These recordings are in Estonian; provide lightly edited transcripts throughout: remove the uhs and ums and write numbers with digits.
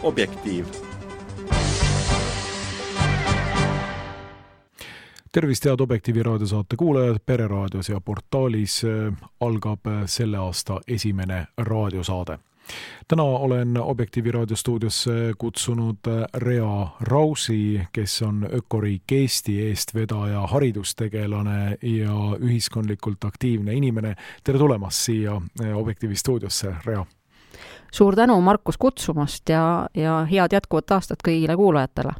Objektiiv. Tervist, head Objektiivi raadiosaate kuulajad, Pereraadios ja portaalis algab selle aasta esimene raadiosaade. Täna olen Objektiivi raadiostuudiosse kutsunud Rea Rausi, kes on Ökoriik Eesti eestvedaja, haridustegelane ja ühiskondlikult aktiivne inimene. Tere tulemast siia Objektiivi stuudiosse, Rea! Suur tänu, Markus, kutsumast ja head jätkuvat aastat kõigile kuulajatele.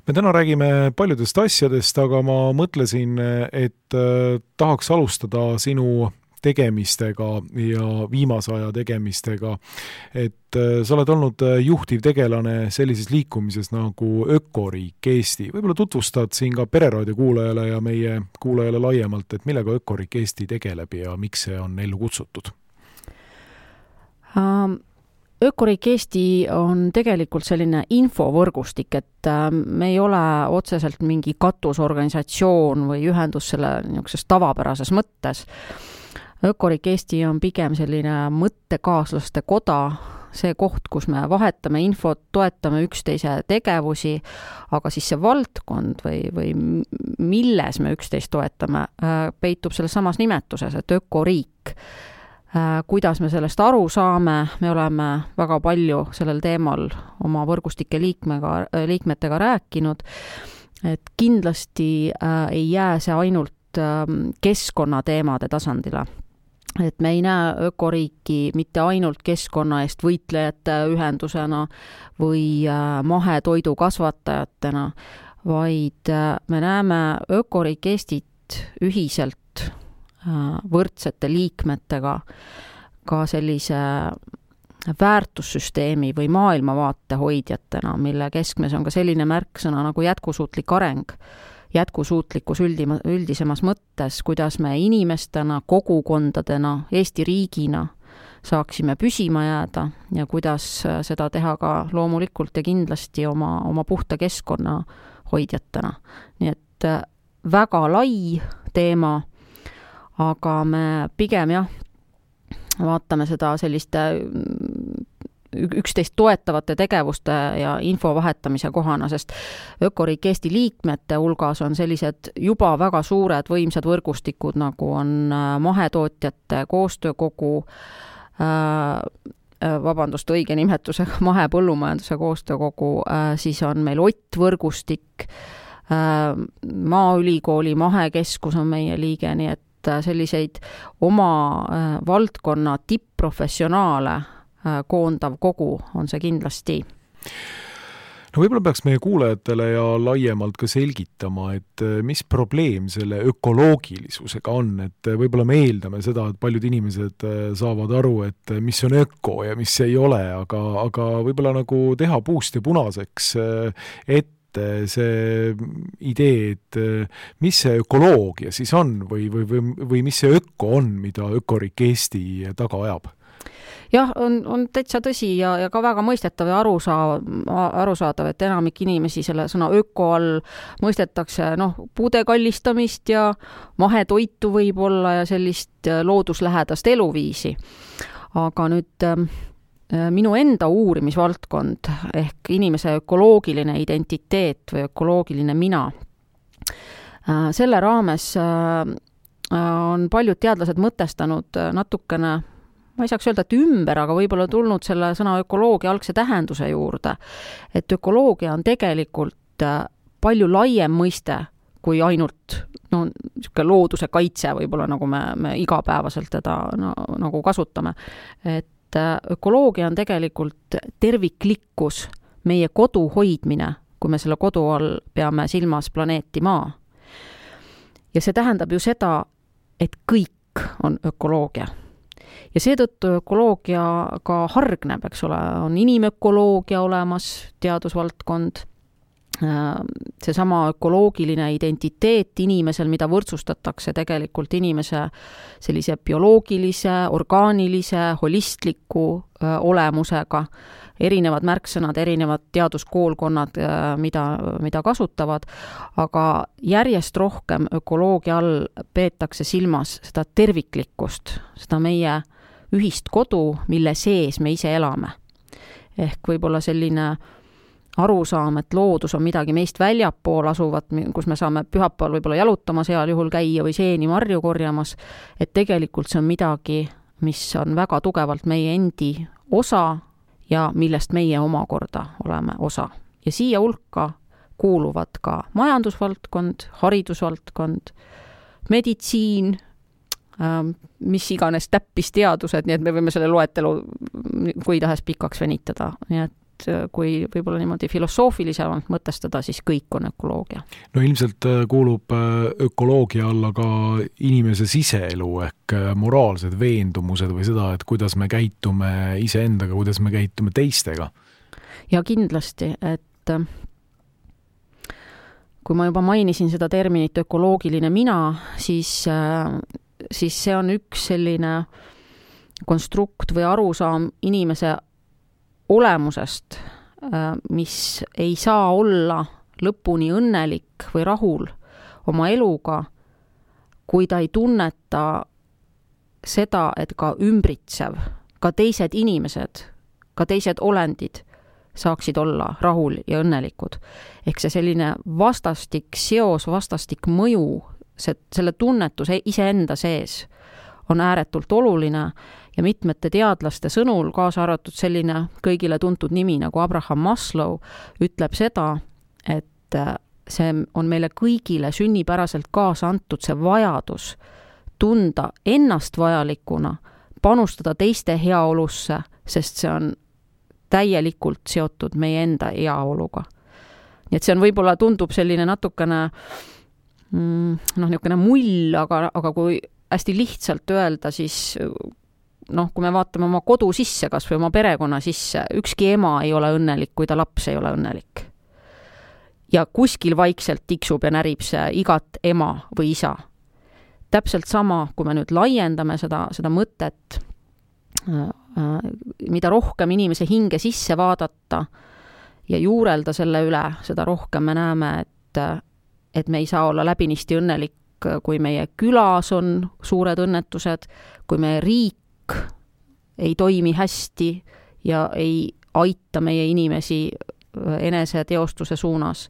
Me täna räägime paljudest asjadest, aga ma mõtlesin, et tahaks alustada sinu tegemistega ja viimase aja tegemistega, et sa oled olnud juhtiv tegelane sellises liikumises nagu Ökoriik Eesti. Võib-olla tutvustad siin ka Pereraadio kuulajale ja meie kuulajale laiemalt, et millega Ökoriik Eesti tegeleb ja miks see on ellu kutsutud? Ökoriik Eesti on tegelikult selline infovõrgustik, et me ei ole otseselt mingi katusorganisatsioon või ühendus selle niisuguses tavapärases mõttes. Ökoriik Eesti on pigem selline mõttekaaslaste koda, see koht, kus me vahetame infot, toetame üksteise tegevusi, aga siis see valdkond või milles me üksteist toetame, peitub selles samas nimetuses, et ökoriik. Kuidas me sellest aru saame, me oleme väga palju sellel teemal oma võrgustike liikmetega rääkinud, et kindlasti ei jää see ainult keskkonnateemade tasandile. Et me ei näe ökoriiki mitte ainult keskkonna eest võitlejate ühendusena või mahetoidu kasvatajatena, vaid me näeme ökoriik Eestit ühiselt võrdsete liikmetega ka sellise väärtussüsteemi või maailmavaate hoidjatena, mille keskmes on ka selline märksõna nagu jätkusuutlik areng, jätkusuutlikkus üldisemas mõttes, kuidas me inimestena, kogukondadena, Eesti riigina saaksime püsima jääda ja kuidas seda teha ka loomulikult ja kindlasti oma puhta keskkonna hoidjatena. Nii et väga lai teema, aga me pigem vaatame seda selliste üksteist toetavate tegevuste ja info vahetamise kohana, sest Ökoriik Eesti liikmete hulgas on sellised juba väga suured võimsad võrgustikud, nagu on mahetootjate koostöökogu, õige nimetusega mahepõllumajanduse koostöökogu, siis on meil Ott võrgustik, Maaülikooli mahekeskus on meie liige, nii et selliseid oma valdkonna tipp-professionaale koondav kogu on see kindlasti. No võib-olla peaks meie kuulajatele ja laiemalt ka selgitama, et mis probleem selle ökoloogilisusega on, et võib-olla me eeldame seda, et paljud inimesed saavad aru, et mis on öko ja mis ei ole, aga võib-olla nagu teha puust ja punaseks, et see idee, et mis see ökoloogia siis on või mis see öko on, mida Ökoriik Eesti taga ajab? Jah, on täitsa tõsi ja ka väga mõistetav ja arusaadav, et enamik inimesi selle sõna öko all mõistetakse puude kallistamist ja mahetoitu võib-olla ja sellist looduslähedast eluviisi. Aga nüüd minu enda uurimisvaldkond ehk inimese ökoloogiline identiteet või ökoloogiline mina. Selle raames on paljud teadlased mõtestanud natukene, ma ei saaks öelda, et ümber, aga võib-olla tulnud selle sõna ökoloogia algse tähenduse juurde, et ökoloogia on tegelikult palju laiem mõiste kui ainult looduse kaitse võib-olla, nagu me igapäevaselt teda nagu kasutame. Et ökoloogia on tegelikult terviklikkus, meie kodu hoidmine, kui me selle kodu all peame silmas planeeti Maa. Ja see tähendab ju seda, et kõik on ökoloogia. Ja seetõttu ökoloogia ka hargneb, eks ole, on inimökoloogia olemas, teadusvaldkond, seesama ökoloogiline identiteet inimesel, mida võrdsustatakse tegelikult inimese sellise bioloogilise, orgaanilise, holistliku olemusega, erinevad märksõnad, erinevad teaduskoolkonnad, mida kasutavad, aga järjest rohkem ökoloogia all peetakse silmas seda terviklikkust, seda meie ühist kodu, mille sees me ise elame. ehk võib-olla selline arusaam, et loodus on midagi meist väljapool asuvat, kus me saame pühapäeval võib-olla jalutama seal juhul käia või seeni marju korjamas, et tegelikult see on midagi, mis on väga tugevalt meie endi osa ja millest meie omakorda oleme osa. Ja siia hulka kuuluvad ka majandusvaldkond, haridusvaldkond, meditsiin, mis iganes täppisteadused, nii et me võime selle loetelu kui tahes pikaks venitada. Nii et kui võib-olla niimoodi filosoofilisemalt mõtestada, siis kõik on ökoloogia. No ilmselt kuulub ökoloogia alla ka inimese siseelu ehk moraalsed veendumused või seda, et kuidas me käitume iseendaga, kuidas me käitume teistega. Ja kindlasti, et kui ma juba mainisin seda terminit ökoloogiline mina, siis see on üks selline konstrukt või arusaam inimese olemusest, mis ei saa olla lõpuni õnnelik või rahul oma eluga, kui ta ei tunneta seda, et ka ümbritsev, ka teised inimesed, ka teised olendid saaksid olla rahul ja õnnelikud. Ehk see selline vastastik seos, vastastik mõju, selle tunnetus iseenda sees on ääretult oluline ja mitmete teadlaste sõnul, kaasa arvatud selline kõigile tuntud nimi nagu Abraham Maslow, ütleb seda, et see on meile kõigile sünnipäraselt kaasa antud see vajadus tunda ennast vajalikuna, panustada teiste heaolusse, sest see on täielikult seotud meie enda heaoluga. Nii et see on võib-olla tundub selline natukene niisugune mull, aga kui hästi lihtsalt öelda, siis kui me vaatame oma kodu sisse, kas või oma perekonna sisse, ükski ema ei ole õnnelik, kui ta laps ei ole õnnelik. Ja kuskil vaikselt tiksub ja närib see igat ema või isa. Täpselt sama, kui me nüüd laiendame seda mõtet, mida rohkem inimese hinge sisse vaadata ja juurelda selle üle, seda rohkem me näeme, et me ei saa olla läbinisti õnnelik, kui meie külas on suured õnnetused, kui meie riik ei toimi hästi ja ei aita meie inimesi enese teostuse suunas.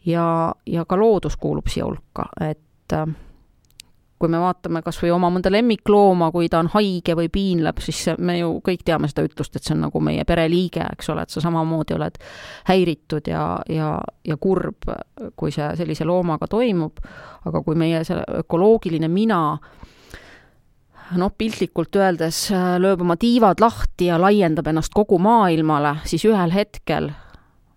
Ja ka loodus kuulub siia hulka, et kui me vaatame kas või oma mõnda lemmiklooma, kui ta on haige või piinleb, siis me ju kõik teame seda ütlust, et see on nagu meie pereliige, eks ole, et sa samamoodi oled häiritud ja kurb, kui see sellise loomaga toimub. Aga kui meie see ökoloogiline mina piltlikult öeldes lööb oma tiivad lahti ja laiendab ennast kogu maailmale, siis ühel hetkel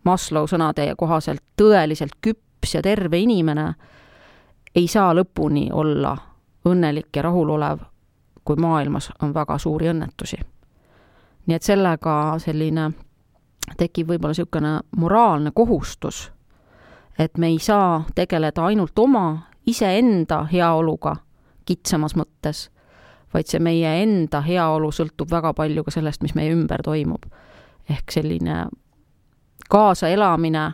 Maslow sõnade kohaselt tõeliselt küps ja terve inimene ei saa lõpuni olla õnnelik ja rahulolev, kui maailmas on väga suuri õnnetusi. Nii et sellega selline tekib võib-olla niisugune moraalne kohustus, et me ei saa tegeleda ainult oma iseenda heaoluga kitsamas mõttes, vaid see meie enda heaolu sõltub väga palju ka sellest, mis meie ümber toimub. Ehk selline kaasaelamine,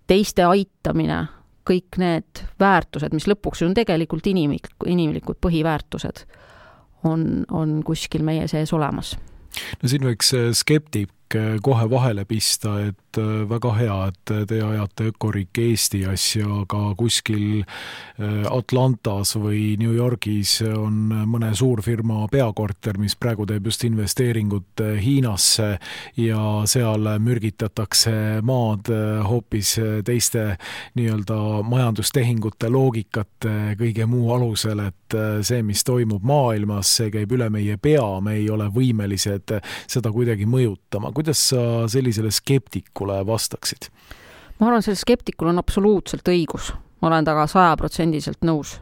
teiste aitamine, kõik need väärtused, mis lõpuks on tegelikult inimlikud põhiväärtused, on kuskil meie sees olemas. No siin võiks skeptik kohe vahele pista, et väga hea, et te ajate ökoriik Eesti asja, aga kuskil Atlantas või New Yorgis on mõne suurfirma peakorter, mis praegu teeb just investeeringut Hiinasse ja seal mürgitatakse maad hoopis teiste nii-öelda majandustehingute loogikate kõige muu alusel, et see, mis toimub maailmas, see käib üle meie pea, me ei ole võimelised seda kuidagi mõjutama. Kuidas sa sellisele skeptikule vastaksid? Ma arvan, selle skeptikul on absoluutselt õigus. Ma olen taga 100% nõus.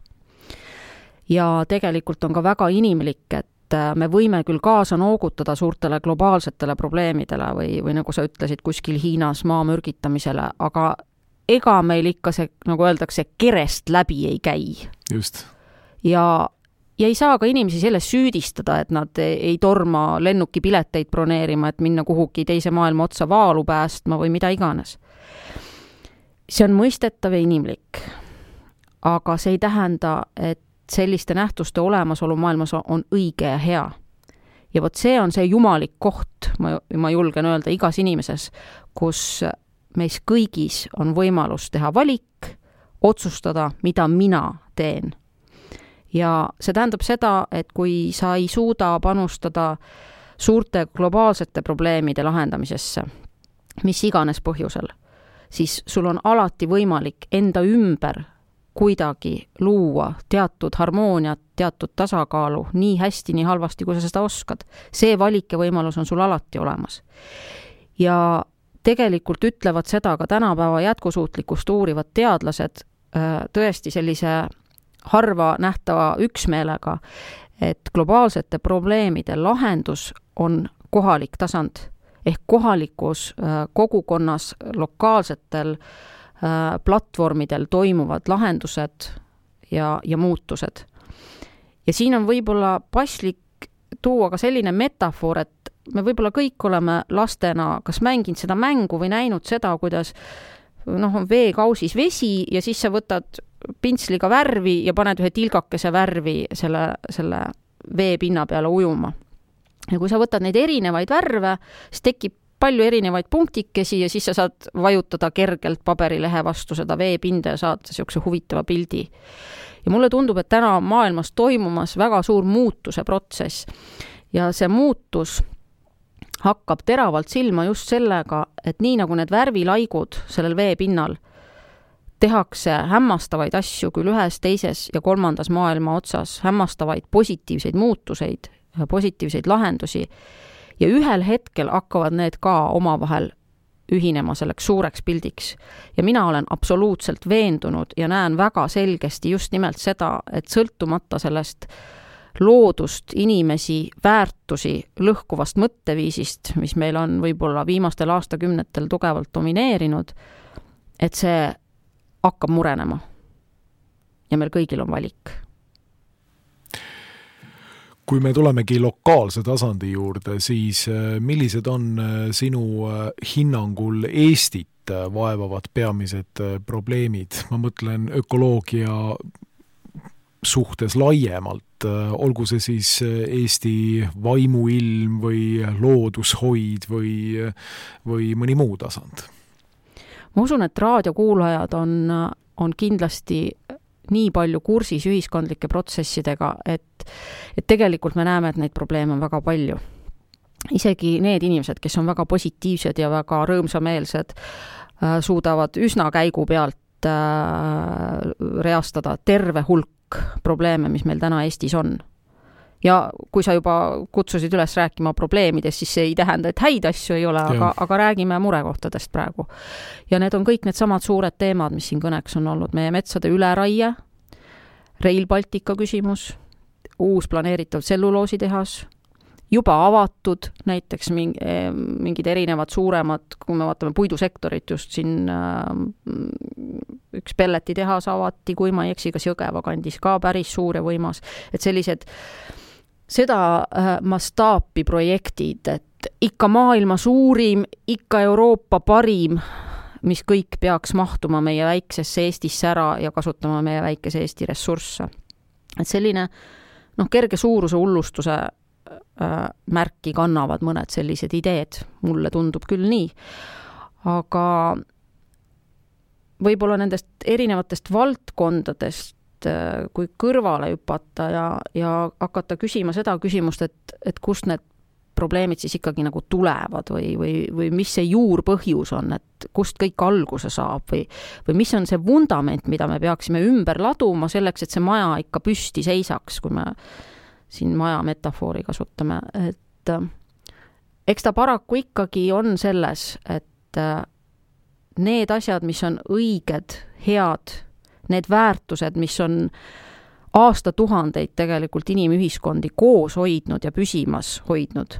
Ja tegelikult on ka väga inimlik, et me võime küll kaasa noogutada suurtele globaalsetele probleemidele või nagu sa ütlesid, kuskil Hiinas maa mürgitamisele, aga ega meil ikka see, nagu öeldakse, kerest läbi ei käi. Just. Ja ei saa ka inimesi selles süüdistada, et nad ei torma lennukipileteid broneerima, et minna kuhugi teise maailma otsa vaalu päästma või mida iganes. See on mõistetav ja inimlik, aga see ei tähenda, et selliste nähtuste olemasolu maailmas on õige ja hea. Ja vot see on see jumalik koht, ma julgen öelda igas inimeses, kus meis kõigis on võimalus teha valik, otsustada, mida mina teen. Ja see tähendab seda, et kui sa ei suuda panustada suurte globaalsete probleemide lahendamisesse, mis iganes põhjusel, siis sul on alati võimalik enda ümber kuidagi luua teatud harmooniat, teatud tasakaalu, nii hästi, nii halvasti, kui sa seda oskad. See valik ja võimalus on sul alati olemas. Ja tegelikult ütlevad seda ka tänapäeva jätkusuutlikkust uurivad teadlased tõesti sellise harva nähtava üksmeelega, et globaalsete probleemide lahendus on kohalik tasand ehk kohalikus kogukonnas lokaalsetel platvormidel toimuvad lahendused ja muutused. Ja siin on võib-olla paslik tuua ka selline metafoor, et me võib-olla kõik oleme lastena kas mänginud seda mängu või näinud seda, kuidas on veekausis vesi ja siis sa võtad pintsliga värvi ja paned ühe tilgakese värvi selle veepinna peale ujuma. Ja kui sa võtad neid erinevaid värve, siis tekib palju erinevaid punktikesi ja siis sa saad vajutada kergelt paberilehe vastu seda veepinda ja saad sellise huvitava pildi. Ja mulle tundub, et täna maailmas toimumas väga suur muutuse protsess ja see muutus hakkab teravalt silma just sellega, et nii nagu need värvilaigud sellel veepinnal tehakse hämmastavaid asju küll ühes, teises ja kolmandas maailma otsas, hämmastavaid positiivseid muutuseid, positiivseid lahendusi ja ühel hetkel hakkavad need ka omavahel ühinema selleks suureks pildiks. Ja mina olen absoluutselt veendunud ja näen väga selgesti just nimelt seda, et sõltumata sellest loodust, inimesi, väärtusi, lõhkuvast mõtteviisist, mis meil on võib-olla viimastel aastakümnetel tugevalt domineerinud, et see hakkab murenema. Ja meil kõigil on valik. Kui me tulemegi lokaalse tasandi juurde, siis millised on sinu hinnangul Eestit vaevavad peamised probleemid? Ma mõtlen ökoloogia suhtes laiemalt, olgu see siis Eesti vaimuilm või loodushoid või mõni muu tasand? Ma usun, et raadiokuulajad on kindlasti nii palju kursis ühiskondlike protsessidega, et tegelikult me näeme, et neid probleeme on väga palju. Isegi need inimesed, kes on väga positiivsed ja väga rõõmsameelsed, suudavad üsna käigu pealt reastada terve hulk probleeme, mis meil täna Eestis on. Ja kui sa juba kutsusid üles rääkima probleemidest, siis see ei tähenda, et häid asju ei ole, aga räägime murekohtadest praegu. Ja need on kõik need samad suured teemad, mis siin kõneks on olnud. Meie metsade üleraie, Rail Baltica küsimus, uus planeeritav tselluloositehas, juba avatud näiteks mingid erinevad suuremad, kui me vaatame puidusektorit, just siin üks pelletitehas avati, kui ma ei eksi, kas Jõgeva kandis ka päris suur ja võimas. Et sellised seda mastaapi projektid, et ikka maailma suurim, ikka Euroopa parim, mis kõik peaks mahtuma meie väiksesse Eestisse ära ja kasutama meie väikese Eesti ressursse. Et selline kerge suuruse hullustuse märki kannavad mõned sellised ideed. Mulle tundub küll nii. Aga võib-olla nendest erinevatest valdkondadest, kui kõrvale hüpata ja hakata küsima seda küsimust, et kust need probleemid siis ikkagi nagu tulevad või mis see juurpõhjus on, et kust kõik alguse saab või mis on see vundament, mida me peaksime ümber laduma selleks, et see maja ikka püsti seisaks, kui me siin maja metafoori kasutame. Et eks ta paraku ikkagi on selles, et need asjad, mis on õiged, head, need väärtused, mis on aastatuhandeid tegelikult inimühiskondi koos hoidnud ja püsimas hoidnud.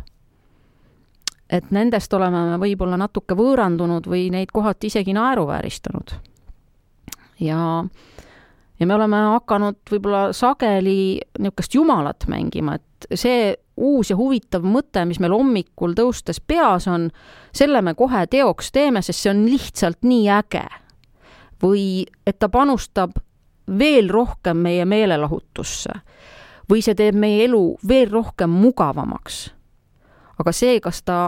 Et nendest oleme me võib-olla natuke võõrandunud või neid kohati isegi naeruvääristanud. Ja me oleme hakanud võib-olla sageli niisugust jumalat mängima, et see uus ja huvitav mõte, mis meil hommikul tõustes peas on, selle me kohe teoks teeme, sest see on lihtsalt nii äge. Või et ta panustab veel rohkem meie meelelahutusse või see teeb meie elu veel rohkem mugavamaks Aga see, kas ta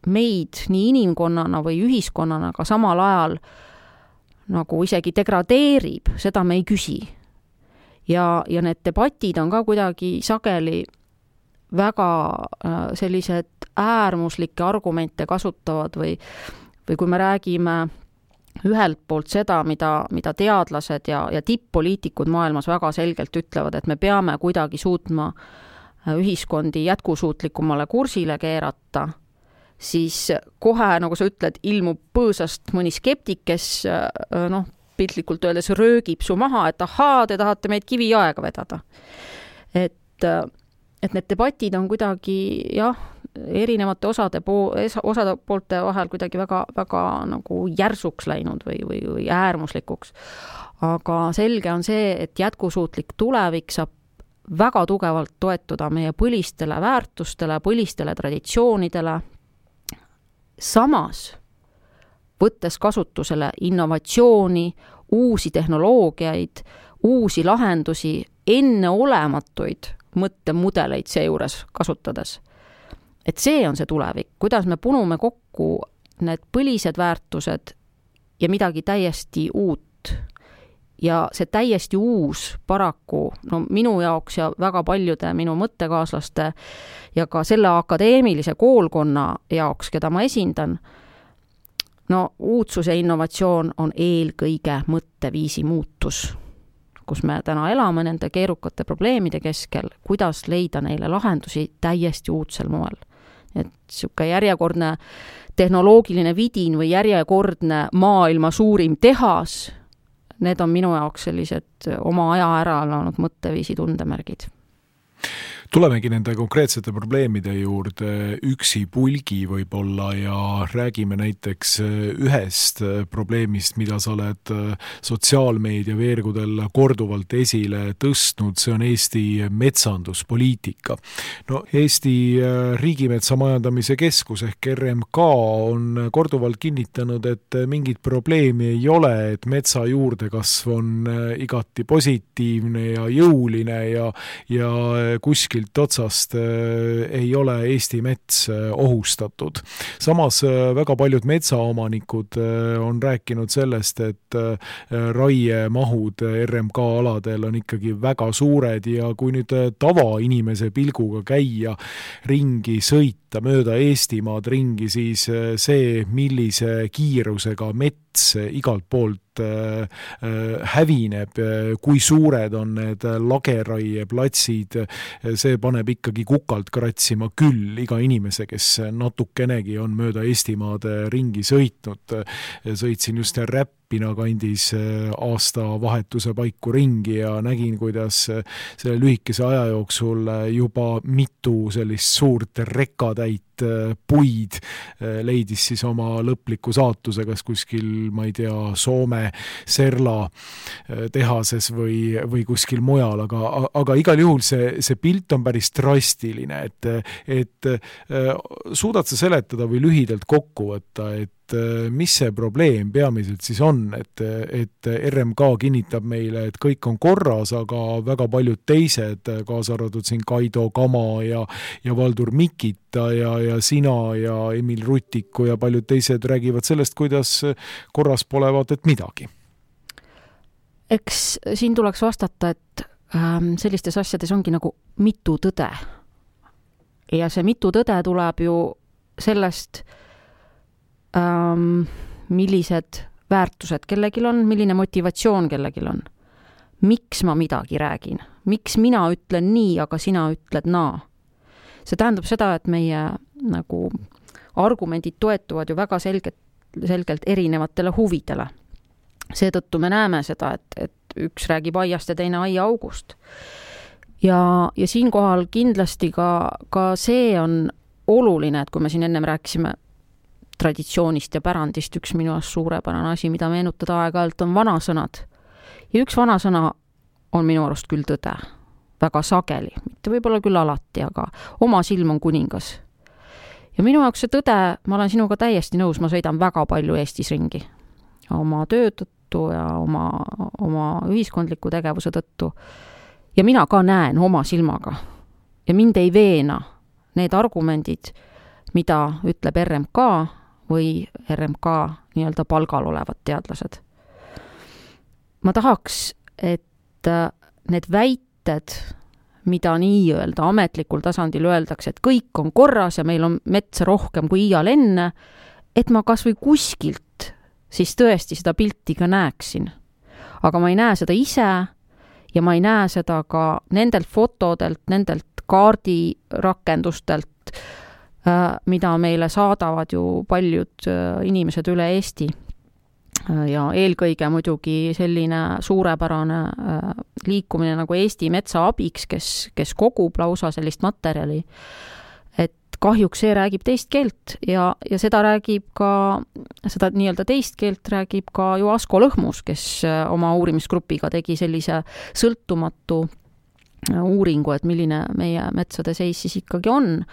meid nii inimkonnana või ühiskonnana ka samal ajal nagu isegi degradeerib, seda me ei küsi. Ja need debatid on ka kuidagi sageli väga sellised äärmuslikke argumente kasutavad või kui me räägime ühelt poolt seda, mida teadlased ja tipp-poliitikud maailmas väga selgelt ütlevad, et me peame kuidagi suutma ühiskondi jätkusuutlikumale kursile keerata, siis kohe, nagu sa ütled, ilmub põõsast mõni skeptik, kes piltlikult öeldes röögib su maha, et ahaa, te tahate meid kiviaega vedada. Et need debatid on kuidagi erinevate osade poolte vahel kuidagi väga, väga nagu järsuks läinud või äärmuslikuks. Aga selge on see, et jätkusuutlik tulevik saab väga tugevalt toetuda meie põlistele väärtustele, põlistele traditsioonidele. Samas, võttes kasutusele innovatsiooni, uusi tehnoloogiaid, uusi lahendusi, enneolematuid mõttemudeleid seejuures kasutades. Et see on see tulevik, kuidas me punume kokku need põlised väärtused ja midagi täiesti uut. Ja see täiesti uus paraku, minu jaoks ja väga paljude minu mõttekaaslaste ja ka selle akadeemilise koolkonna jaoks, keda ma esindan, uudsus ja innovatsioon on eelkõige mõtteviisi muutus, kus me täna elame nende keerukate probleemide keskel, kuidas leida neile lahendusi täiesti uudsel moel. Et siuke järjekordne tehnoloogiline vidin või järjekordne maailma suurim tehas, need on minu jaoks sellised oma aja ära alanud mõtteviisi tundemärgid. Tulemegi nende konkreetsete probleemide juurde üksi pulgi võib-olla ja räägime näiteks ühest probleemist, mida sa oled sotsiaalmeedia veergudel korduvalt esile tõstnud, see on Eesti metsanduspoliitika. Eesti Riigimetsa Majandamise Keskus ehk RMK on korduvalt kinnitanud, et mingit probleemi ei ole, et metsa juurdekasv on igati positiivne ja jõuline ja kuskil otsast ei ole Eesti mets ohustatud. Samas väga paljud metsaomanikud on rääkinud sellest, et raiemahud RMK aladel on ikkagi väga suured ja kui nüüd tavainimese pilguga käia ringi sõita mööda Eestimaad ringi, siis see, millise kiirusega mets igalt poolt hävineb, kui suured on need lageraieplatsid, see paneb ikkagi kukalt kratsima küll iga inimese, kes natukenegi on mööda Eestimaad ringi sõitnud. Sõitsin just Räppina kandis aastavahetuse paiku ringi ja nägin, kuidas selle lühikese aja jooksul juba mitu sellist suurt rekkatäit puid leidis siis oma lõpliku saatuse, kas kuskil, ma ei tea, Soome Serla tehases või kuskil mujal, aga igal juhul see pilt on päris drastiline, et suudad sa seletada või lühidalt kokku võtta, et mis see probleem peamiselt siis on, et RMK kinnitab meile, et kõik on korras, aga väga paljud teised, kaasa arvatud siin Kaido Kama ja Valdur Mikita ja sina ja Emil Rutiku ja paljud teised räägivad sellest, kuidas korras pole vaat et midagi. Eks siin tuleks vastata, et sellistes asjades ongi nagu mitu tõde. Ja see mitu tõde tuleb ju sellest, millised väärtused kellegil on, milline motivatsioon kellegil on. Miks ma midagi räägin? Miks mina ütlen nii, aga sina ütled naa? See tähendab seda, et meie nagu argumendid toetuvad ju väga selgelt erinevatele huvidele. Seetõttu me näeme seda, et üks räägib aiast ja teine aiaaugust. Ja siinkohal kindlasti ka see on oluline, et kui me siin ennem rääkisime traditsioonist ja pärandist, üks minu suurepärane asi, mida meenutada aeg-ajalt, on vanasõnad. Ja üks vanasõna on minu arust küll tõde. Väga sageli, mitte võib-olla küll alati, aga oma silm on kuningas. Ja minu jaoks see tõde, ma olen sinuga täiesti nõus, ma sõidan väga palju Eestis ringi. Oma töö tõttu ja oma ühiskondliku tegevuse tõttu. Ja mina ka näen oma silmaga. Ja mind ei veena need argumendid, mida ütleb RMK või RMK nii-öelda palgal olevad teadlased. Ma tahaks, et need väited, mida nii-öelda ametlikul tasandil öeldakse, et kõik on korras ja meil on metsa rohkem kui iial enne, et ma kas või kuskilt siis tõesti seda pilti ka näeksin. Aga ma ei näe seda ise ja ma ei näe seda ka nendelt fotodelt, nendelt kaardirakendustelt, mida meile saadavad ju paljud inimesed üle Eesti. Ja eelkõige muidugi selline suurepärane liikumine nagu Eesti Metsa Abiks, kes kogub lausa sellist materjali. Et kahjuks see räägib teist keelt ja seda räägib ka, seda nii-öelda teist keelt räägib ka ju Asko Lõhmus, kes oma uurimisgrupiga tegi sellise sõltumatu uuringu, et milline meie metsade seis siis ikkagi on.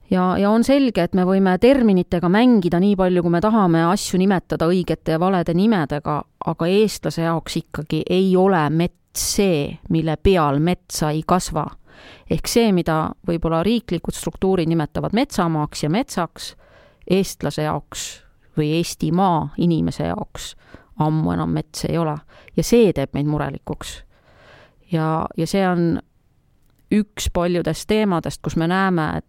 Ja on selge, et me võime terminitega mängida nii palju, kui me tahame asju nimetada õigete ja valede nimedega, aga eestlase jaoks ikkagi ei ole mets see, mille peal metsa ei kasva. Ehk see, mida võib-olla riiklikud struktuurid nimetavad metsamaaks ja metsaks, eestlase jaoks või Eestimaa inimese jaoks ammu enam mets ei ole. Ja see teeb meid murelikuks. Ja see on üks paljudest teemadest, kus me näeme,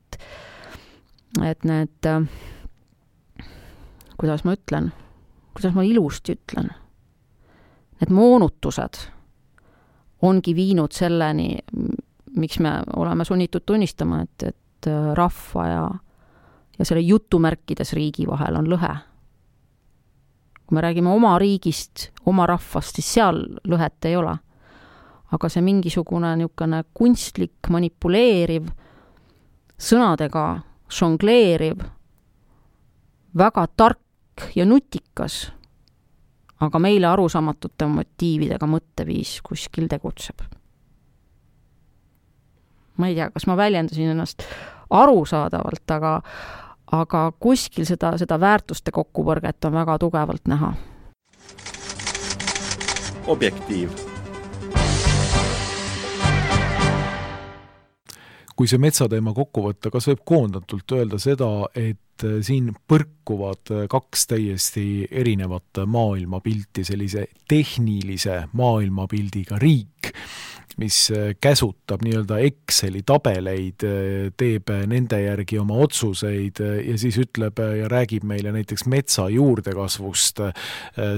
et need, kuidas ma ilusti ütlen, need moonutused ongi viinud selleni, miks me oleme sunnitud tunnistama, et rahva ja selle jutumärkides riigi vahel on lõhe. Kui me räägime oma riigist, oma rahvast, siis seal lõhet ei ole. Aga see mingisugune niisugune kunstlik, manipuleeriv, sõnadega žongleeriv, väga tark ja nutikas, aga meile arusaamatute motiividega mõtteviis kuskil tegutseb. Ma ei tea, kas ma väljendasin ennast arusaadavalt, aga kuskil seda väärtuste kokkupõrget on väga tugevalt näha. Objektiiv. Kui see metsateema kokku võtta, kas võib koondatult öelda seda, et siin põrkuvad kaks täiesti erinevat maailmapilti, sellise tehnilise maailmapildiga riik, mis käsutab nii-öelda Exceli tabeleid, teeb nende järgi oma otsuseid ja siis ütleb ja räägib meile näiteks metsa juurdekasvust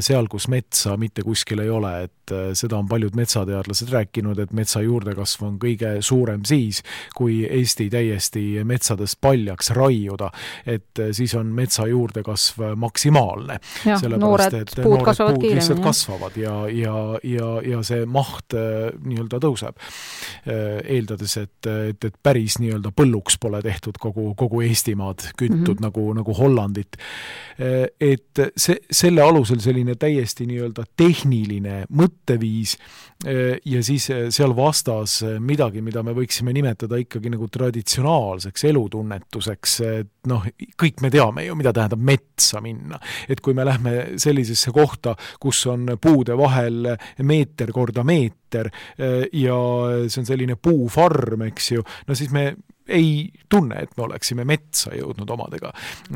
seal, kus metsa mitte kuskil ei ole, et seda on paljud metsateadlased rääkinud, et metsa juurdekasv on kõige suurem siis, kui Eesti täiesti metsadest paljaks raiuda, et siis on metsa juurdekasv maksimaalne. Noored puud kasvavad kiiremini. Kasvavad ja see maht nii-öelda tõuseb. Eeldades, et päris nii-öelda põlluks pole tehtud kogu Eestimaad küttud nagu Hollandit. Et selle alusel selline täiesti nii-öelda tehniline mõtteviis ja siis seal vastas midagi, mida me võiksime nimetada ikkagi nagu traditsionaalseks elutunnetuseks. Kõik me teame ju, mida tähendab metsa minna. Et kui me lähme sellisesse kohta, kus on puude vahel meeter korda meeter ja see on selline puufarm, eks ju, siis me ei tunne, et me oleksime metsa jõudnud omadega.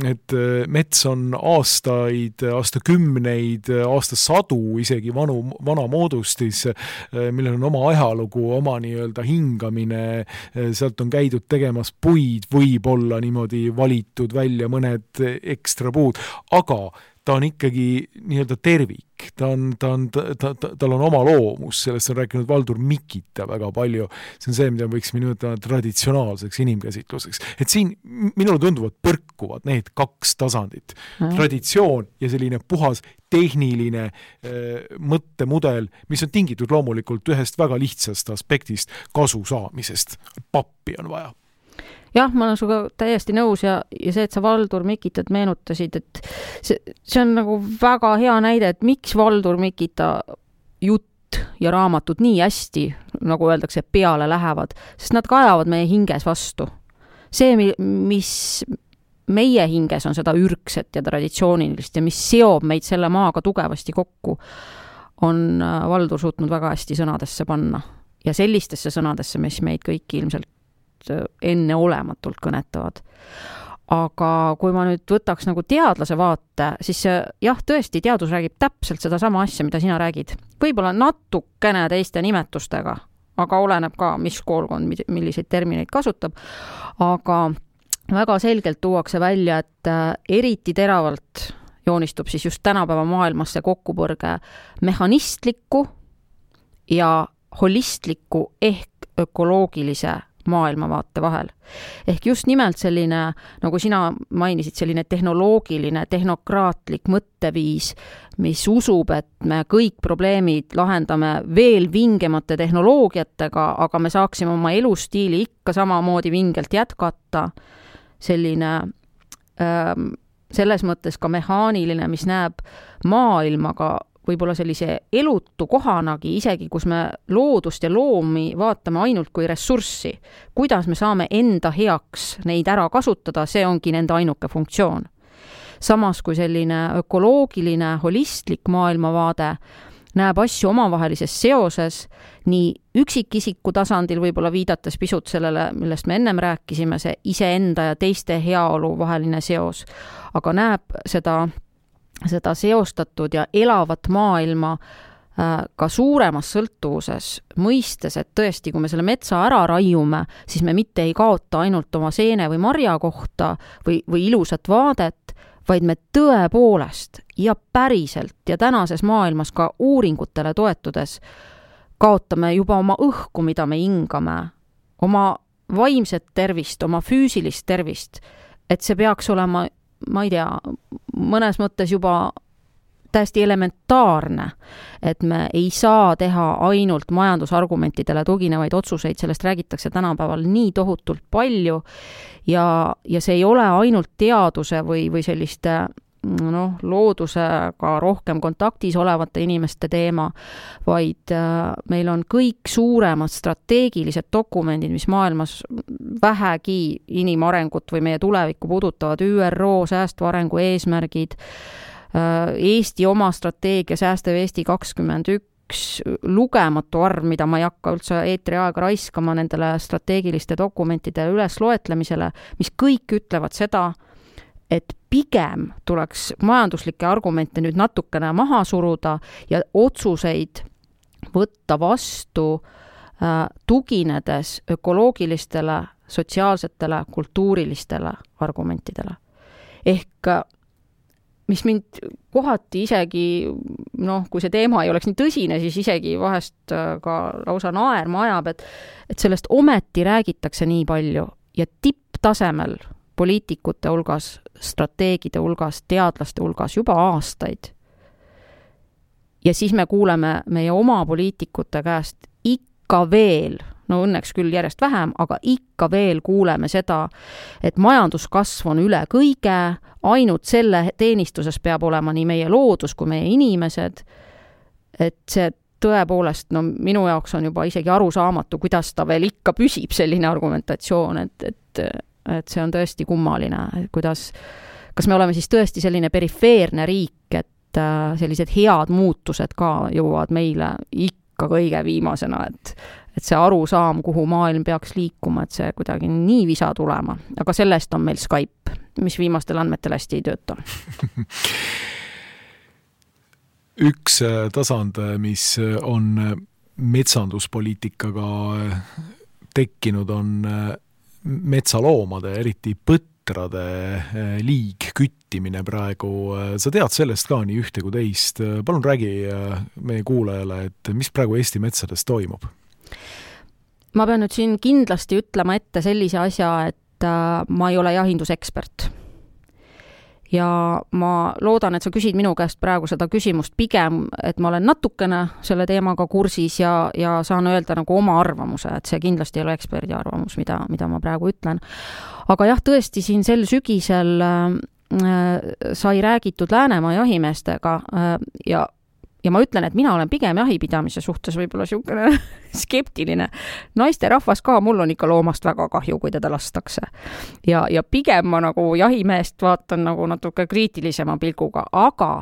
Et mets on aastakümneid, aastasadu isegi vana moodustis, millel on oma ajalugu, oma nii-öelda hingamine, sealt on käidud tegemas puid, võib-olla niimoodi valitud välja mõned ekstra puud, aga ta on ikkagi nii-öelda tervik. Tal on oma loomus, sellest on rääkinud Valdur Mikita väga palju. See on see, mida võiksime nimetada traditsionaalseks inimkäsitluseks. Et siin minule tunduvad põrkuvad need kaks tasandit. Traditsioon ja selline puhas tehniline mõttemudel, mis on tingitud loomulikult ühest väga lihtsast aspektist kasu saamisest. Pappi on vaja. Jah, ma olen suga täiesti nõus ja see, et sa Valdur Mikitat meenutasid, et see on nagu väga hea näide, et miks Valdur Mikita jutt ja raamatud nii hästi, nagu öeldakse, peale lähevad, sest nad kajavad meie hinges vastu. See, mis meie hinges on seda ürgset ja traditsioonilist ja mis seob meid selle maaga tugevasti kokku, on Valdur suutnud väga hästi sõnadesse panna ja sellistesse sõnadesse, mis meid kõik ilmselt enneolematult kõnetavad. aga kui ma nüüd võtaks nagu teadlase vaate, siis jah, tõesti, teadus räägib täpselt seda sama asja, mida sina räägid. Võib-olla natukene teiste nimetustega, aga oleneb ka, mis koolkond, milliseid termineid kasutab. Aga väga selgelt tuuakse välja, et eriti teravalt joonistub siis just tänapäeva maailmasse kokkupõrge mehhanistliku ja holistliku ehk ökoloogilise maailmavaate vahel. Ehk just nimelt selline, nagu sina mainisid, selline tehnoloogiline, tehnokraatlik mõtteviis, mis usub, et me kõik probleemid lahendame veel vingemate tehnoloogiatega, aga me saaksime oma elustiili ikka samamoodi vingelt jätkata. Selline selles mõttes ka mehaaniline, mis näeb maailmaga võib-olla sellise elutu kohanagi, isegi kus me loodust ja loomi vaatame ainult kui ressurssi. Kuidas me saame enda heaks neid ära kasutada, see ongi nende ainuke funktsioon. Samas kui selline ökoloogiline, holistlik maailmavaade näeb asju omavahelises seoses, nii üksikisiku tasandil võib-olla viidates pisut sellele, millest me ennem rääkisime, see iseenda ja teiste heaolu vaheline seos, aga näeb seda seostatud ja elavat maailma ka suuremas sõltuvuses, mõistes, et tõesti, kui me selle metsa ära raiume, siis me mitte ei kaota ainult oma seene või marja kohta või ilusat vaadet, vaid me tõepoolest ja päriselt ja tänases maailmas ka uuringutele toetudes kaotame juba oma õhku, mida me hingame, oma vaimset tervist, oma füüsilist tervist, et see peaks olema, ma ei tea, mõnes mõttes juba täiesti elementaarne, et me ei saa teha ainult majandusargumentidele tuginevaid otsuseid, sellest räägitakse tänapäeval nii tohutult palju ja see ei ole ainult teaduse või selliste loodusega rohkem kontaktis olevate inimeste teema, vaid meil on kõik suuremad strateegilised dokumendid, mis maailmas vähegi inimarengut või meie tulevikku puudutavad, ÜRO säästva arengu eesmärgid, Eesti oma strateegia Säästev Eesti 21, lugematu arv, mida ma ei hakka üldse eetri aega raiskama nendele strateegiliste dokumentide üles loetlemisele, mis kõik ütlevad seda, et pigem tuleks majanduslikke argumente nüüd natukene maha suruda ja otsuseid võtta vastu tuginedes ökoloogilistele, sotsiaalsetele, kultuurilistele argumentidele. Ehk mis mind kohati isegi, kui see teema ei oleks nii tõsine, siis isegi vahest ka lausa naerma ajab, et sellest ometi räägitakse nii palju ja tipptasemel poliitikute hulgas, strateegide hulgas, teadlaste hulgas juba aastaid. Ja siis me kuuleme meie oma poliitikute käest ikka veel, õnneks küll järjest vähem, aga ikka veel kuuleme seda, et majanduskasv on üle kõige, ainult selle teenistuses peab olema nii meie loodus kui meie inimesed, et see tõepoolest, minu jaoks on juba isegi arusaamatu, kuidas ta veel ikka püsib selline argumentatsioon, et see on tõesti kummaline, kas me oleme siis tõesti selline perifeerne riik, et sellised head muutused ka jõuavad meile ikka kõige viimasena, et see arusaam, kuhu maailm peaks liikuma, et see kuidagi nii visa tulema. Aga sellest on meil Skype, mis viimastel andmetel hästi ei tööta. Üks tasand, mis on metsanduspoliitikaga tekkinud, on metsaloomade, eriti põtrade liigküttimine praegu. Sa tead sellest ka nii ühte kui teist. Palun räägi meie kuulajale, et mis praegu Eesti metsades toimub? Ma pean nüüd siin kindlasti ütlema ette sellise asja, et ma ei ole jahindusekspert. Ja ma loodan, et sa küsid minu käest praegu seda küsimust pigem, et ma olen natukene selle teemaga kursis ja saan öelda nagu oma arvamuse, et see kindlasti ei ole eksperdi arvamus, mida ma praegu ütlen. Aga jah, tõesti siin sel sügisel sai räägitud Läänemaa jahimeestega ja ma ütlen, et mina olen pigem jahipidamise suhtes võib-olla siukene skeptiline. Naiste rahvas ka, mul on ikka loomast väga kahju, kui teda lastakse. Ja pigem ma nagu jahimeest vaatan nagu natuke kriitilisema pilguga, aga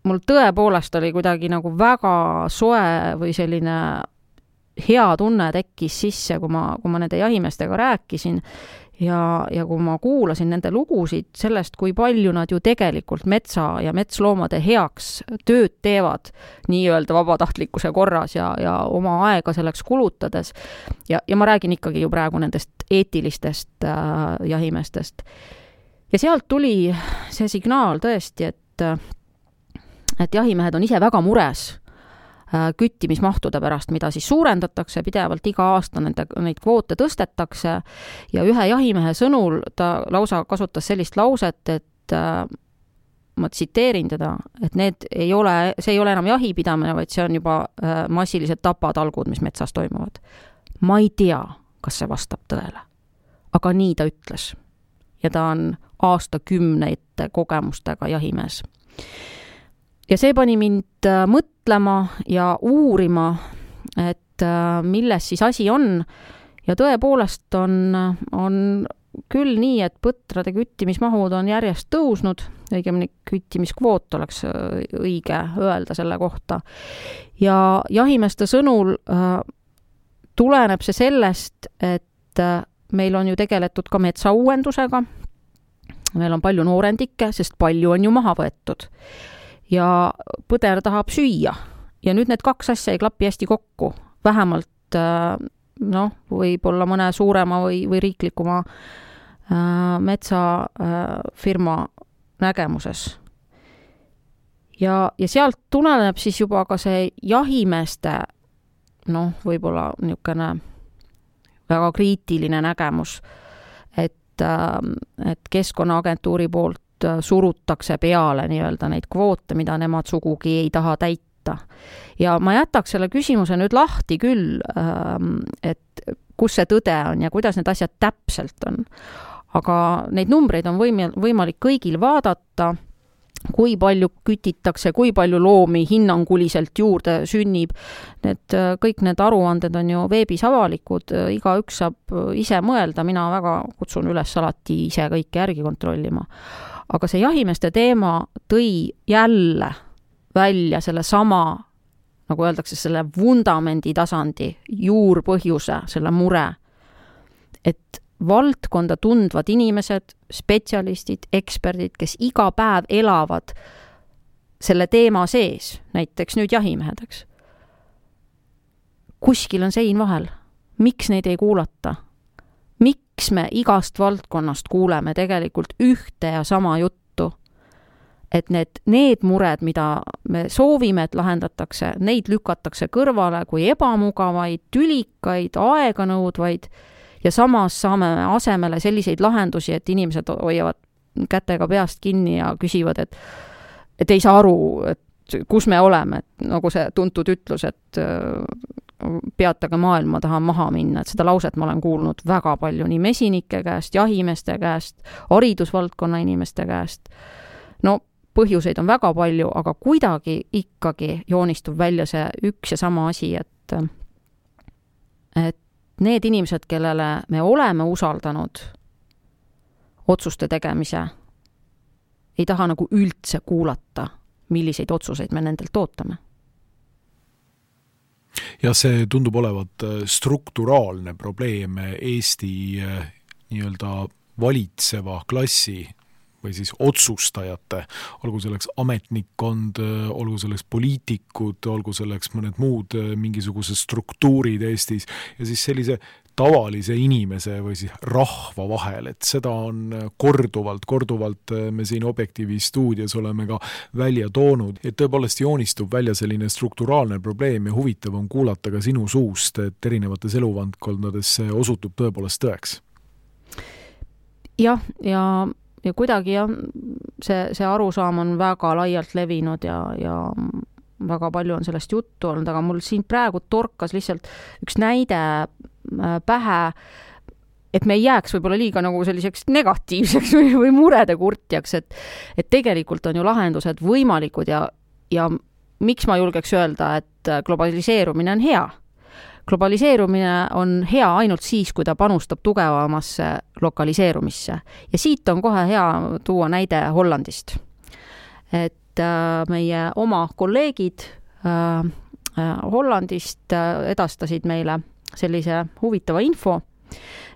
mul tõepoolest oli kuidagi nagu väga soe või selline hea tunne tekkis sisse, kui ma nende jahimeestega rääkisin ja kui ma kuulasin nende lugusid sellest, kui palju nad ju tegelikult metsa ja metsloomade heaks tööd teevad nii-öelda vabatahtlikkuse korras ja oma aega selleks kulutades, ja ma räägin ikkagi ju praegu nendest eetilistest jahimeestest. Ja sealt tuli see signaal tõesti, et jahimehed on ise väga mures küttimismahtude pärast, mida siis suurendatakse, pidevalt iga aasta neid kvoote tõstetakse, ja ühe jahimehe sõnul ta lausa kasutas sellist lauset, et ma tsiteerin teda, et see ei ole enam jahipidamine, vaid see on juba massilised tapatalgud, mis metsas toimuvad. Ma ei tea, kas see vastab tõele, aga nii ta ütles. Ja ta on aastakümneid kogemustega jahimees. Ja see pani mind mõtlema ja uurima, et milles siis asi on. Ja tõepoolest on küll nii, et põtrade küttimismahud on järjest tõusnud, õigemini küttimiskvoot oleks õige öelda selle kohta. Ja jahimeeste sõnul tuleneb see sellest, et meil on ju tegeletud ka metsauuendusega. Meil on palju noorendikke, sest palju on ju maha võetud. Ja põder tahab süüa. Ja nüüd need kaks asja ei klapi hästi kokku. Vähemalt võib-olla mõne suurema või riiklikuma metsafirma nägemuses. Ja sealt tuleneb siis juba ka see jahimeeste võib-olla niisugune väga kriitiline nägemus, et Keskkonnaagentuuri poolt surutakse peale nii-öelda neid kvoote, mida nemad sugugi ei taha täita. Ja ma jätaks selle küsimuse nüüd lahti küll, et kus see tõde on ja kuidas need asjad täpselt on. Aga neid numbreid on võimalik kõigil vaadata, kui palju kütitakse, kui palju loomi hinnanguliselt juurde sünnib. Kõik need aruanded on ju veebis avalikud, iga üks saab ise mõelda, mina väga kutsun üles alati ise kõike järgi kontrollima. Aga see jahimeeste teema tõi jälle välja selle sama, nagu öeldakse, selle vundamendi tasandi juurpõhjuse, selle mure, et valdkonda tundvad inimesed, spetsialistid, eksperdid, kes iga päev elavad selle teema sees, näiteks nüüd jahimehedeks. Kuskil on sein vahel. Miks neid ei kuulata? Miks me igast valdkonnast kuuleme tegelikult ühte ja sama juttu? Et need mured, mida me soovime, et lahendatakse, neid lükatakse kõrvale kui ebamugavaid, tülikaid, aeganõudvaid, ja samas saame asemele selliseid lahendusi, et inimesed hoiavad kätega peast kinni ja küsivad, et ei saa aru, et kus me oleme, et nagu see tuntud ütlus, et peatage maailma, tahan maha minna, et seda lauset ma olen kuulnud väga palju nii mesinike käest, jahimeeste käest, haridusvaldkonna inimeste käest. Põhjuseid on väga palju, aga kuidagi ikkagi joonistub välja see üks ja sama asi, et need inimesed, kellele me oleme usaldanud otsuste tegemise, ei taha nagu üldse kuulata, milliseid otsuseid me nendelt ootame. Ja see tundub olevat strukturaalne probleem Eesti nii-öelda valitseva klassi või siis otsustajate, olgu selleks ametnikkond, olgu selleks poliitikud, olgu selleks mõned muud mingisugused struktuurid Eestis ja siis sellise tavalise inimese või siis rahva vahel, et seda on korduvalt me siin Objektiivi stuudios oleme ka välja toonud, et tõepoolest joonistub välja selline strukturaalne probleem ja huvitav on kuulata ka sinu suust, et erinevates eluvaldkondades see osutub tõepoolest tõeks. Jah, ja kuidagi see arusaam on väga laialt levinud ja väga palju on sellest juttu olnud, aga mul siin praegu torkas lihtsalt üks näide pähe, et me ei jääks võib-olla liiga nagu selliseks negatiivseks või murede kurtjaks, et tegelikult on ju lahendused võimalikud ja miks ma julgeks öelda, et globaliseerumine on hea. Globaliseerumine on hea ainult siis, kui ta panustab tugevamasse lokaliseerumisse. Ja siit on kohe hea tuua näide Hollandist. Et meie oma kolleegid Hollandist edastasid meile sellise huvitava info,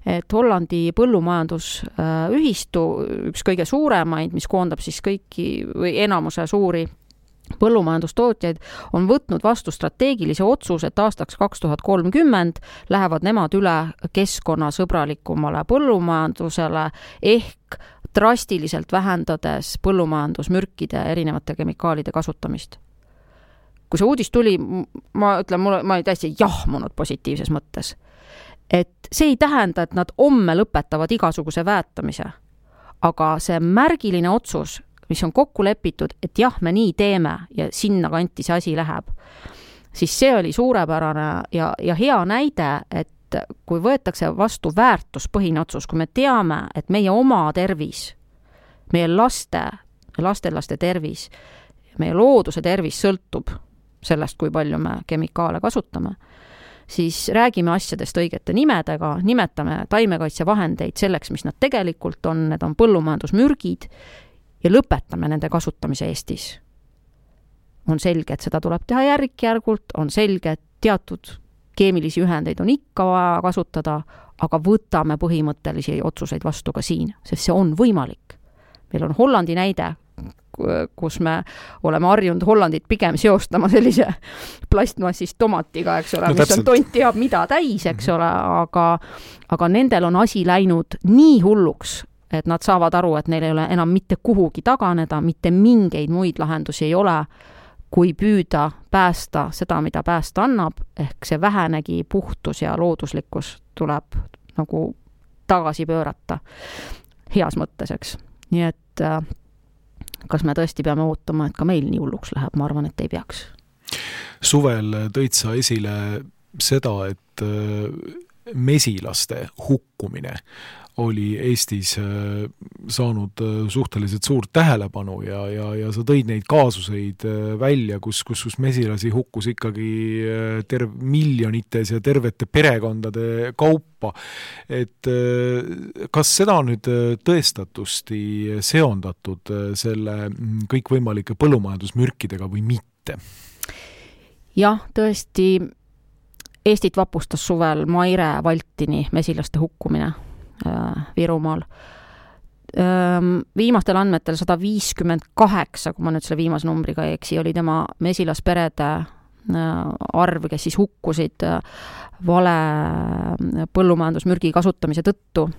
et Hollandi põllumajandusühistu, üks kõige suuremaid, mis koondab siis kõiki või enamuse suuri põllumajandustootjaid, on võtnud vastu strateegilise otsuse, et aastaks 2030 lähevad nemad üle keskkonnasõbralikumale põllumajandusele ehk drastiliselt vähendades põllumajandusmürkide erinevate kemikaalide kasutamist. Kui see uudis tuli, ma ütlen, ma ei täiesti jahmunud positiivses mõttes. Et see ei tähenda, et nad homme lõpetavad igasuguse väetamise, aga see märgiline otsus, mis on kokku lepitud, et jah, me nii teeme ja sinna kanti see asi läheb, siis see oli suurepärane ja hea näide, et kui võetakse vastu väärtuspõhine otsus, kui me teame, et meie oma tervis, meie lastelaste tervis, meie looduse tervis sõltub sellest, kui palju me kemikaale kasutame, siis räägime asjadest õigete nimedega, nimetame taimekaitsevahendeid selleks, mis nad tegelikult on, need on põllumajandusmürgid, ja lõpetame nende kasutamise Eestis. On selge, et seda tuleb teha järk-järgult, on selge, et teatud keemilisi ühendeid on ikka vaja kasutada, aga võtame põhimõttelisi otsuseid vastu ka siin, sest see on võimalik. Meil on Hollandi näide, kus me oleme harjunud Hollandit pigem seostama sellise plastmassist tomatiga, eks ole, mis on tont teab mida täis, eks ole, aga nendel on asi läinud nii hulluks, et nad saavad aru, et neil ei ole enam mitte kuhugi taganeda, mitte mingeid muid lahendusi ei ole, kui püüda päästa seda, mida päästa annab, ehk see vähenegi puhtus ja looduslikkus tuleb nagu tagasi pöörata heas mõttes, eks. Nii et kas me tõesti peame ootama, et ka meil nii hulluks läheb, ma arvan, et ei peaks. Suvel tõid sa esile seda, et mesilaste hukkumine oli Eestis saanud suhteliselt suurt tähelepanu ja sa tõid neid kaasuseid välja, kus mesilasi hukkus ikkagi miljonites ja tervete perekondade kaupa. Et kas seda on nüüd tõestatusti seondatud selle kõikvõimalike põllumajandusmürkidega või mitte? Jah, tõesti Eestit vapustas suvel Maire Valtini mesilaste hukkumine Virumaal. Viimastel andmetel 158, kui ma nüüd selle viimase numbriga ei eksi, oli tema mesilasperede arv, kes siis hukkusid vale põllumajandusmürgi kasutamise tõttu.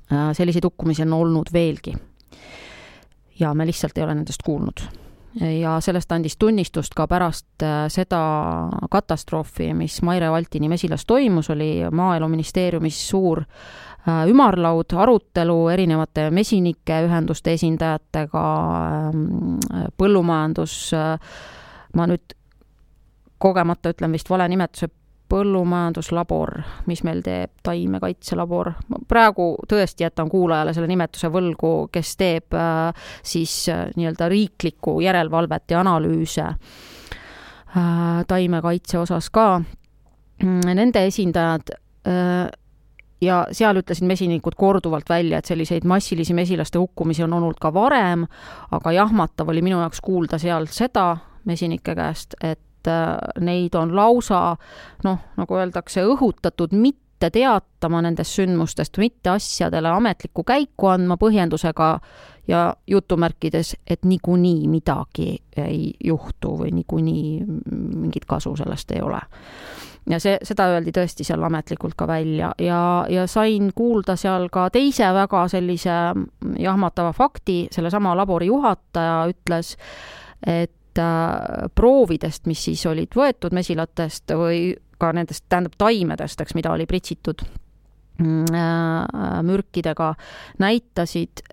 Selliseid hukkumisi on olnud veelgi. Ja me lihtsalt ei ole nendest kuulnud. Ja sellest andis tunnistust ka pärast seda katastroofi, mis Maire Valtini mesilas toimus, oli Maaeluministeeriumis suur ümarlaud, arutelu erinevate mesinike ühenduste esindajatega, põllumajandus, ma nüüd kogemata ütlen vist vale nimetuse, põllumajanduslabor, mis meil teeb taimekaitselabor. Praegu tõesti jätan kuulajale selle nimetuse võlgu, kes teeb siis nii-öelda riiklikku järelevalvet ja analüüse taimekaitse osas ka. Nende esindajad ja seal ütlesid mesinikud korduvalt välja, et selliseid massilisi mesilaste hukkumisi on olnud ka varem, aga jahmatav oli minu jaoks kuulda seal seda mesinike käest, et neid on lausa, nagu öeldakse, õhutatud mitte teatama nendest sündmustest, mitte asjadele ametlikku käiku andma põhjendusega ja jutumärkides, et niikuinii midagi ei juhtu või niikuinii mingit kasu sellest ei ole. Ja seda öeldi tõesti seal ametlikult ka välja ja sain kuulda seal ka teise väga sellise jahmatava fakti, selle sama labori juhataja ütles, et proovidest, mis siis olid võetud mesilatest või ka nendest, tähendab taimedest, mida oli pritsitud mürkidega, näitasid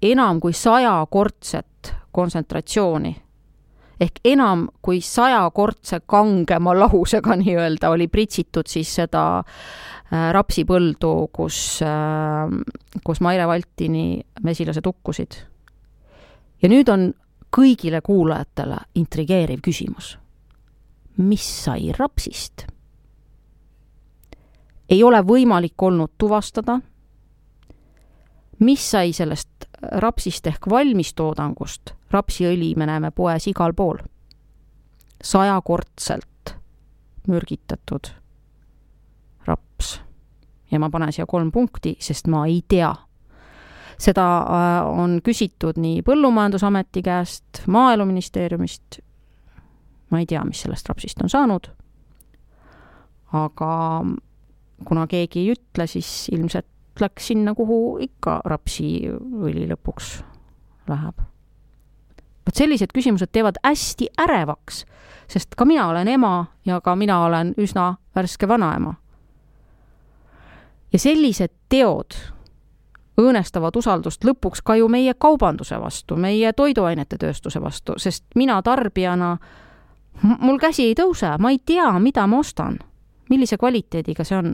enam kui 100-kordset kontsentratsiooni. Ehk enam kui 100-kordse kangema lahusega nii-öelda oli pritsitud siis seda rapsipõldu, kus Maire Valtini mesilased hukkusid. Ja nüüd on kõigile kuulajatele intrigeeriv küsimus. Mis sai rapsist? Ei ole võimalik olnud tuvastada. Mis sai sellest rapsist ehk valmistoodangust? Rapsiõli me näeme poes igal pool. 100-kordselt mürgitatud raps. ja ma panen siia 3 punkti, sest ma ei tea. Seda on küsitud nii Põllumajandusameti käest, Maaeluministeeriumist, ma ei tea, mis sellest rapsist on saanud, aga kuna keegi ei ütle, siis ilmselt läks sinna, kuhu ikka rapsiõli lõpuks läheb. Võt sellised küsimused teevad hästi ärevaks, sest ka mina olen ema ja ka mina olen üsna värske vanaema. Ja sellised teod õõnestavad usaldust lõpuks ka ju meie kaubanduse vastu, meie toiduainete tööstuse vastu, sest mina tarbijana, mul käsi ei tõuse, ma ei tea, mida ma ostan, millise kvaliteediga see on.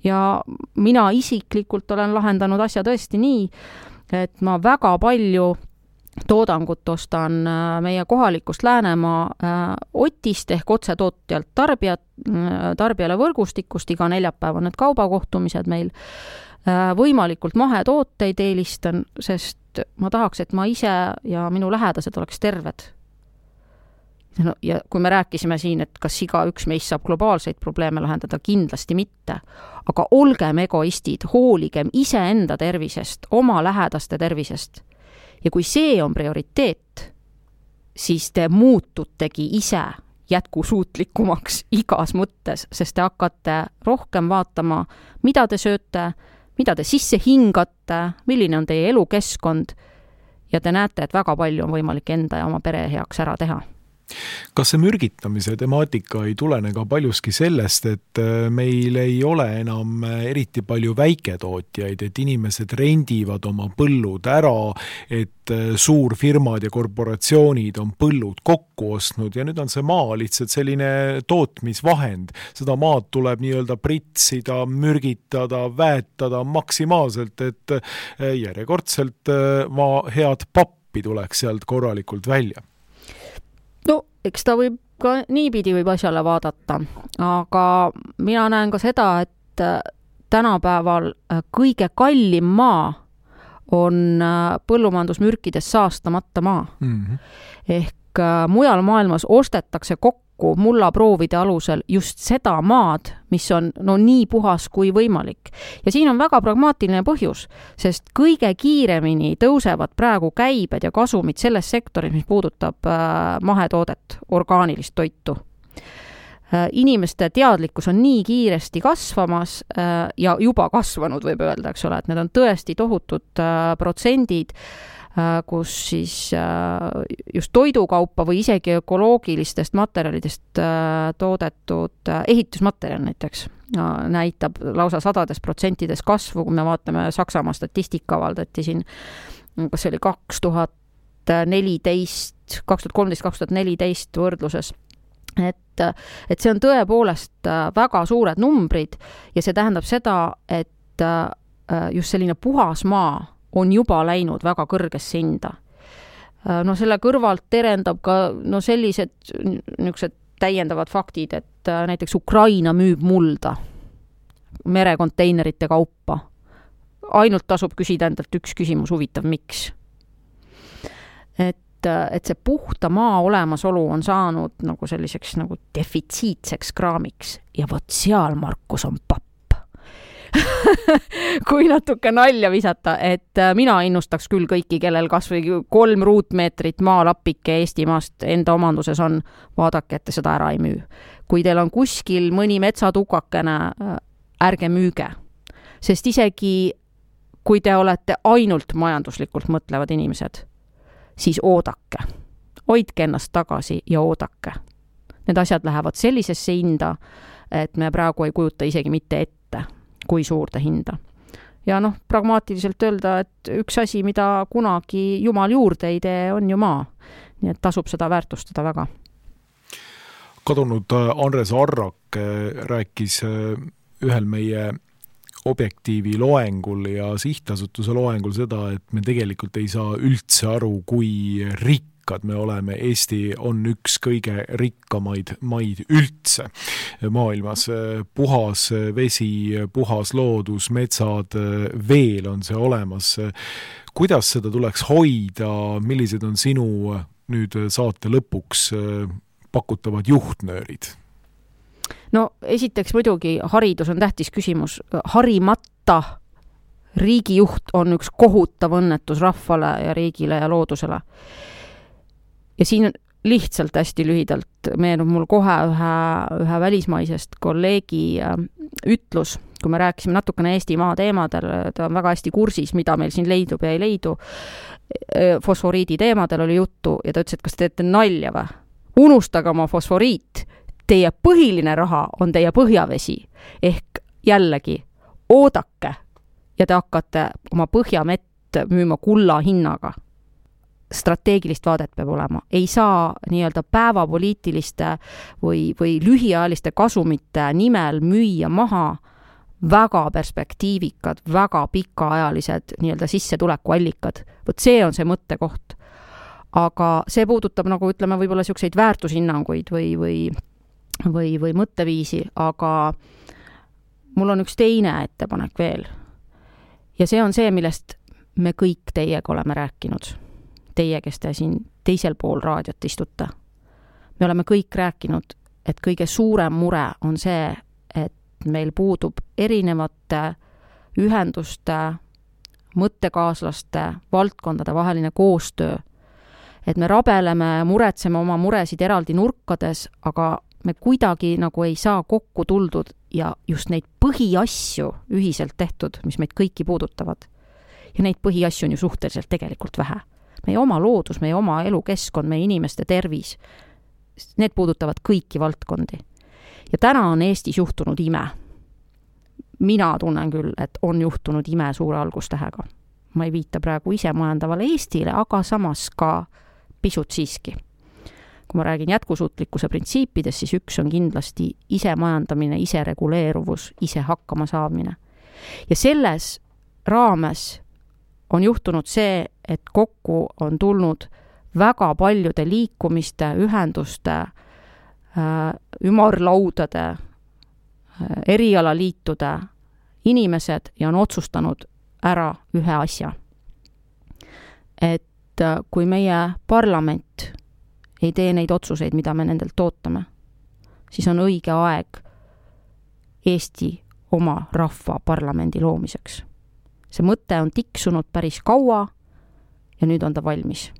Ja mina isiklikult olen lahendanud asja tõesti nii, et ma väga palju toodangut ostan meie kohalikust Läänemaa Otist ehk otsetootjalt tarbijale võrgustikust, iga neljapäev on need kaubakohtumised meil, võimalikult mahetooteid eelistan, sest ma tahaks, et ma ise ja minu lähedased oleks terved. No, ja kui me rääkisime siin, et kas igaüks meist saab globaalseid probleeme lahendada, kindlasti mitte. Aga olgem egoistid, hooligem iseenda tervisest, oma lähedaste tervisest. Ja kui see on prioriteet, siis te muututegi ise jätkusuutlikumaks igas mõttes, sest te hakkate rohkem vaatama, mida te sööte, mida te sisse hingate, milline on teie elukeskkond ja te näete, et väga palju on võimalik enda ja oma pere heaks ära teha. Kas see mürgitamise temaatika ei tulene ka paljuski sellest, et meil ei ole enam eriti palju väiketootjaid, et inimesed rendivad oma põllud ära, et suurfirmad ja korporatsioonid on põllud kokku ostnud ja nüüd on see maa lihtsalt selline tootmisvahend. Seda maad tuleb nii-öelda pritsida, mürgitada, väetada maksimaalselt, et järjekordselt maa head pappi tuleks sealt korralikult välja. No, eks ta võib ka niipidi võib asjale vaadata, aga mina näen ka seda, et tänapäeval kõige kallim maa on põllumajandusmürkides saastamata maa. Ehk mujal maailmas ostetakse kokku mullaproovide alusel just seda maad, mis on nii puhas kui võimalik. Ja siin on väga pragmaatiline põhjus, sest kõige kiiremini tõusevad praegu käibed ja kasumid selles sektoris, mis puudutab mahetoodet, orgaanilist toitu. Inimeste teadlikkus on nii kiiresti kasvamas ja juba kasvanud, võib öelda, eks ole, et need on tõesti tohutud protsendid, kus siis just toidukaupa või isegi ökoloogilistest materjalidest toodetud ehitusmaterjal näiteks näitab lausa 100% kasvu, kui me vaatame Saksamaa statistika avaldati siin, kas see oli 2013-2014 võrdluses. Et see on tõepoolest väga suured numbrid ja see tähendab seda, et just selline puhas maa on juba läinud väga kõrgesse hinda. No selle kõrvalt terendab ka sellised niisugused täiendavad faktid, et näiteks Ukraina müüb mulda merekonteinerite kaupa. Ainult tasub küsida endalt üks küsimus, huvitav, miks? Et see puhta maa olemasolu on saanud nagu selliseks nagu defitsiitseks kraamiks ja vot seal, Markus, on papp. Kui natuke nalja visata, et mina innustaks küll kõiki, kellel kas või 3 ruutmeetrit maalappike Eestimaast enda omanduses on, vaadake, et te seda ära ei müü. Kui teil on kuskil mõni metsatukakene, ärge müüge. Sest isegi kui te olete ainult majanduslikult mõtlevad inimesed, siis oodake. Hoidke ennast tagasi ja oodake. Need asjad lähevad sellisesse hinda, et me praegu ei kujuta isegi mitte ette, kui suurde hinda. Ja pragmaatiliselt öelda, et üks asi, mida kunagi jumal juurde ei tee, on ju maa. Nii et tasub seda väärtustada väga. Kadunud Andres Arrak rääkis ühel meie Objektiivi loengul ja sihtasutuse loengul seda, et me tegelikult ei saa üldse aru, kui rikkad me oleme. Eesti on üks kõige rikkamaid maid üldse maailmas. Puhas vesi, puhas loodus, metsad, veel on see olemas. Kuidas seda tuleks hoida? Millised on sinu nüüd saate lõpuks pakutavad juhtnöörid? No esiteks muidugi haridus on tähtis küsimus. Harimata riigijuht on üks kohutav õnnetus rahvale ja riigile ja loodusele. Ja siin lihtsalt hästi lühidalt meenub mul kohe ühe välismaisest kolleegi ütlus, kui me rääkisime natukene Eestimaa teemadel, ta on väga hästi kursis, mida meil siin leidub ja ei leidu. Fosforiidi teemadel oli juttu ja ta ütles, et kas te teete nalja või? Unustage oma fosforiit. Teie põhiline raha on teie põhjavesi. Ehk jällegi, oodake ja te hakkate oma põhjamett müüma kulla hinnaga. Strateegilist vaadet peab olema. Ei saa nii-öelda päevapoliitiliste või lühiajaliste kasumite nimel müüa maha väga perspektiivikad, väga pikaajalised nii-öelda sissetulekuallikad. Võt see on see mõttekoht. Aga see puudutab, nagu ütleme, võib-olla selliseid väärtushinnanguid või mõtteviisi, aga mul on üks teine ettepanek veel. Ja see on see, millest me kõik teiega oleme rääkinud. Teie, kes te siin teisel pool raadiot istute. Me oleme kõik rääkinud, et kõige suurem mure on see, et meil puudub erinevate ühenduste, mõttekaaslaste, valdkondade vaheline koostöö. Et me rabeleme, muretseme oma muresid eraldi nurkades, aga me kuidagi nagu ei saa kokku tuldud ja just neid põhiasju ühiselt tehtud, mis meid kõiki puudutavad. Ja neid põhiasju on ju suhteliselt tegelikult vähe. Meie oma loodus, meie oma elukeskkond, meie inimeste tervis, need puudutavad kõiki valdkondi. Ja täna on Eestis juhtunud ime. Mina tunnen küll, et on juhtunud ime suure algustähega. Ma ei viita praegu ise majandavale Eestile, aga samas ka pisut siiski. Kui ma räägin jätkusuutlikkuse printsiipidest, siis üks on kindlasti ise majandamine, ise reguleeruvus, ise hakkama saamine. Ja selles raames on juhtunud see, et kokku on tulnud väga paljude liikumiste, ühenduste, ümarlaudade, erialaliitude inimesed ja on otsustanud ära ühe asja. Et kui meie parlament ei tee neid otsuseid, mida me nendelt ootame, siis on õige aeg Eesti oma rahva parlamendi loomiseks. See mõte on tiksunud päris kaua ja nüüd on ta valmis.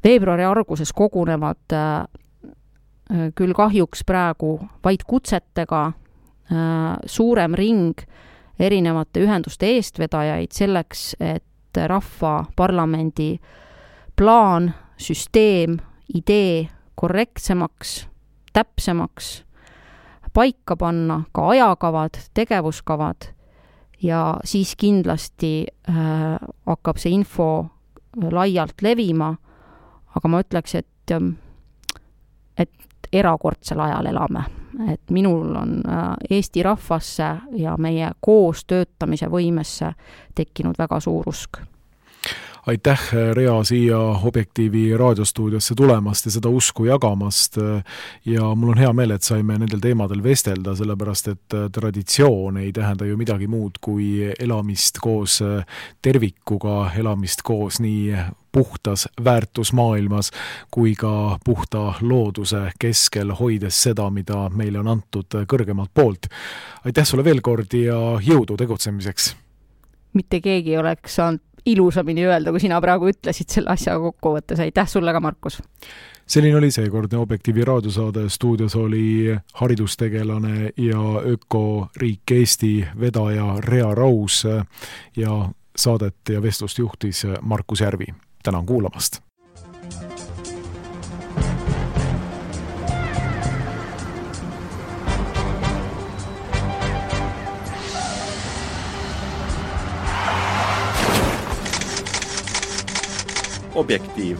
Veebruari alguses kogunevad küll kahjuks praegu vaid kutsetega suurem ring erinevate ühenduste eestvedajaid selleks, et rahva parlamendi plaan, süsteem, idee korrektsemaks, täpsemaks paika panna, ka ajakavad, tegevuskavad ja siis kindlasti hakkab see info laialt levima, aga ma ütleks, et erakordsel ajal elame. Et minul on Eesti rahvasse ja meie koos töötamise võimesse tekkinud väga suur usk. Aitäh, Rea, siia Objektiivi raadiostuudiosse tulemast ja seda usku jagamast ja mul on hea meel, et saime nendel teemadel vestelda, sellepärast et traditsioon ei tähenda ju midagi muud kui elamist koos tervikuga, elamist koos nii puhtas väärtusmaailmas kui ka puhta looduse keskel, hoides seda, mida meile on antud kõrgemalt poolt. Aitäh sulle veel kord ja jõudu tegutsemiseks! Mitte keegi oleks saanud ilusamini öelda, kui sina praegu ütlesid selle asja kokkuvõttes. Aitäh sulle ka, Markus! Selline oli seekordne Objektiivi raadiosaade. Stuudios oli haridustegelane ja ökoriik Eesti vedaja Rea Raus ja saadet ja vestlust juhtis Markus Järvi. Tänan kuulamast! Objektiiv.